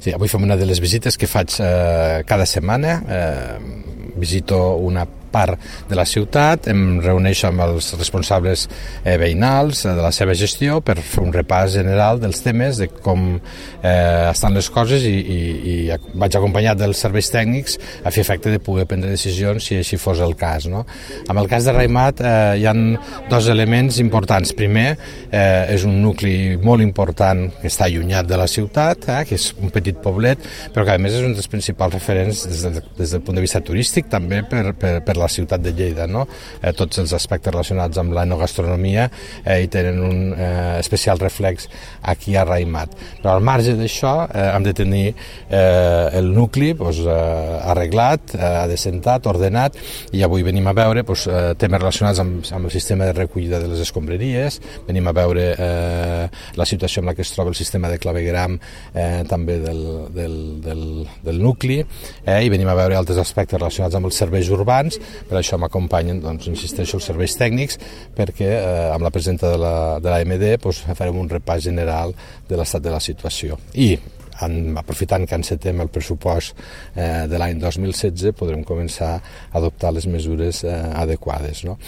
Sí, avui fem una de les visites que faig cada setmana. Visito una part de la ciutat, em reuneixo amb els responsables veïnals de la seva gestió per fer un repàs general dels temes, de com estan les coses i vaig acompanyat dels serveis tècnics a fer efecte de poder prendre decisions si així fos el cas. No? En el cas de Raimat hi ha dos elements importants. Primer, és un nucli molt important que està allunyat de la ciutat, que és un petit poblet, però que a més és un dels principals referents des del punt de vista turístic, també per la ciutat de Lleida. No? Tots els aspectes relacionats amb l'enogastronomia hi tenen un especial reflex aquí a Raimat. Però al marge d'això hem de tenir el nucli arreglat, adecentat, ordenat, i avui venim a veure temes relacionats amb el sistema de recollida de les escombraries, venim a veure la situació en la que es troba el sistema de clavegueram també del nucli, i venim a veure altres aspectes relacionats amb els serveis urbans. Per això m'acompanyen, insisteixo, els serveis tècnics, perquè amb la presenta de l'AMD farem un repàs general de l'estat de la situació. I aprofitant que encetem el pressupost de l'any 2016 podrem començar a adoptar les mesures adequades. No?